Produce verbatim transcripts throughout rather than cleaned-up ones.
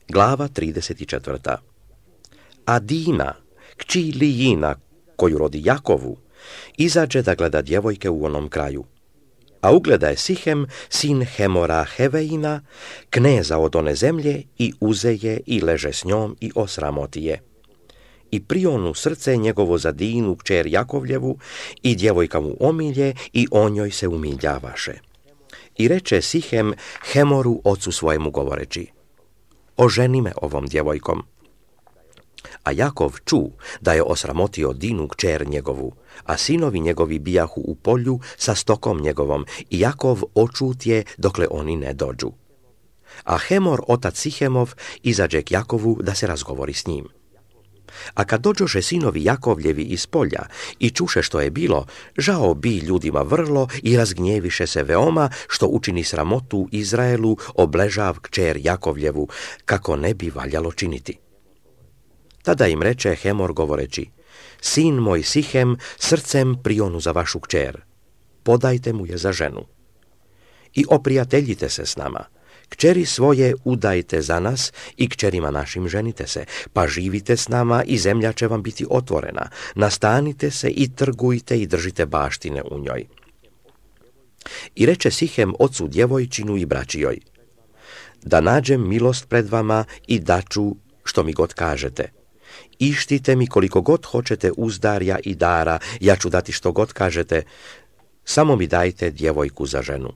Glava trideset četvrta. A Dina, kći Lijina, koju rodi Jakovu, izađe da gleda djevojke u onom kraju. A ugleda je Sihem, sin Hemora Heveina, kneza od one zemlje, i uze je i leže s njom i osramoti je. I prionu srce njegovo za Dinu, kćer Jakovljevu, i djevojka mu omilje, i o njoj se umiljavaše. I reče Sihem Hemoru ocu svojemu govoreći: oženi me ovom djevojkom. A Jakov ču da je osramotio Dinu kćer njegovu, a sinovi njegovi bijahu u polju sa stokom njegovom, i Jakov očutje dokle oni ne dođu. A Hemor, otac Sihemov, izađe k Jakovu da se razgovori s njim. A kad dođoše sinovi Jakovljevi iz polja i čuše što je bilo, žao bi ljudima vrlo i razgnjeviše se veoma što učini sramotu Izraelu obležav kćer Jakovljevu, kako ne bi valjalo činiti. Tada im reče Hemor govoreći: sin moj Sihem srcem prionu za vašu kćer, podajte mu je za ženu. I oprijateljite se s nama, kćeri svoje udajte za nas i kćerima našim ženite se, pa živite s nama i zemlja će vam biti otvorena, nastanite se i trgujte i držite baštine u njoj. I reče Sihem ocu djevojčinu i braći joj: da nađem milost pred vama i daću što mi god kažete. Ištite mi koliko god hoćete uzdarja i dara, ja ću dati što god kažete, samo mi dajte djevojku za ženu.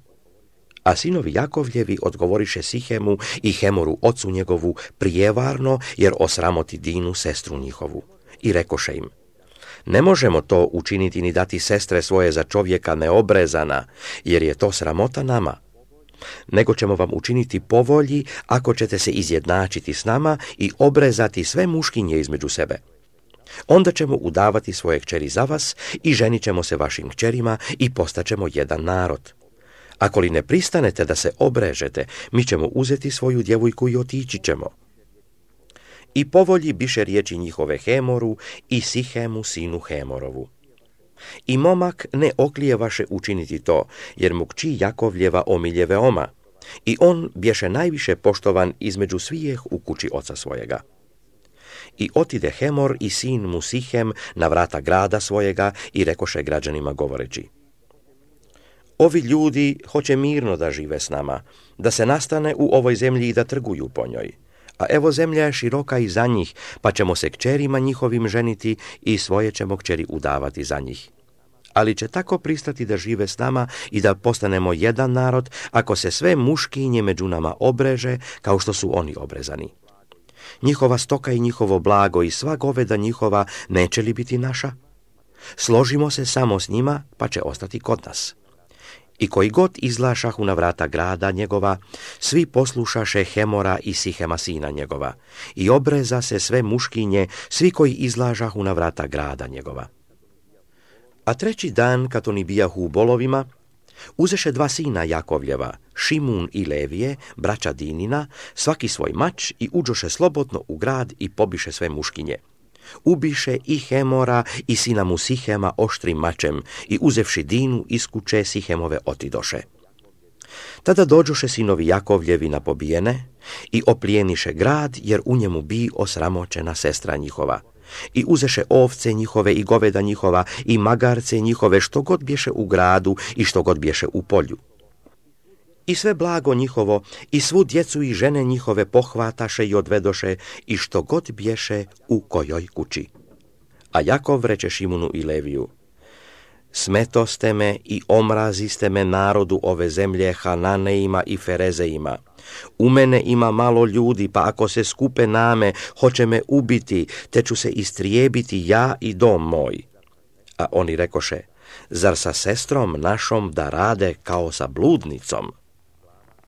A sinovi Jakovljevi odgovoriše Sihemu i Hemoru ocu njegovu prijevarno, jer osramoti Dinu sestru njihovu. I rekoše im: ne možemo to učiniti ni dati sestre svoje za čovjeka neobrezana, jer je to sramota nama. Nego ćemo vam učiniti po volji ako ćete se izjednačiti s nama i obrezati sve muškinje između sebe. Onda ćemo udavati svoje kćeri za vas i ženit ćemo se vašim kćerima i postaćemo jedan narod. Ako li ne pristanete da se obrežete, mi ćemo uzeti svoju djevojku i otići ćemo. I po volji biše riječi njihove Hemoru i Sihemu sinu Hemorovu. I momak ne oklijevaše učiniti to, jer mu kći Jakovljeva omilje veoma, i on bješe najviše poštovan između svijeh u kući oca svojega. I otide Hemor i sin mu Sihem na vrata grada svojega i rekoše građanima govoreći: ovi ljudi hoće mirno da žive s nama, da se nastane u ovoj zemlji i da trguju po njoj. A evo zemlja je široka i za njih, pa ćemo se kćerima njihovim ženiti i svoje ćemo kćeri udavati za njih. Ali će tako pristati da žive s nama i da postanemo jedan narod, ako se sve muškinje među nama obreže, kao što su oni obrezani. Njihova stoka i njihovo blago i sva goveda njihova neće li biti naša? Složimo se samo s njima, pa će ostati kod nas. I koji god izlašahu na vrata grada njegova, svi poslušaše Hemora i Sihema sina njegova, i obreza se sve muškinje, svi koji izlažahu na vrata grada njegova. A treći dan, kad oni bijahu u bolovima, uzeše dva sina Jakovljeva, Šimun i Levije, braća Dinina, svaki svoj mač, i uđoše slobodno u grad i pobiše sve muškinje. Ubiše i Hemora i sina mu Sihema oštrim mačem, i uzevši Dinu iz kuće Sihemove otidoše. Tada dođoše sinovi Jakovljevi na pobijene i oplijeniše grad, jer u njemu bi osramoćena sestra njihova. I uzeše ovce njihove i goveda njihova i magarce njihove, što god bješe u gradu i što god bješe u polju. I sve blago njihovo i svu djecu i žene njihove pohvataše i odvedoše, i što god bješe u kojoj kući. A Jakov reče Šimunu i Leviju: smetoste me i omraziste me narodu ove zemlje Hananeima i Ferezeima. U mene ima malo ljudi, pa ako se skupe name, hoće me ubiti, te ću se istrijebiti ja i dom moj. A oni rekoše: zar sa sestrom našom da rade kao sa bludnicom?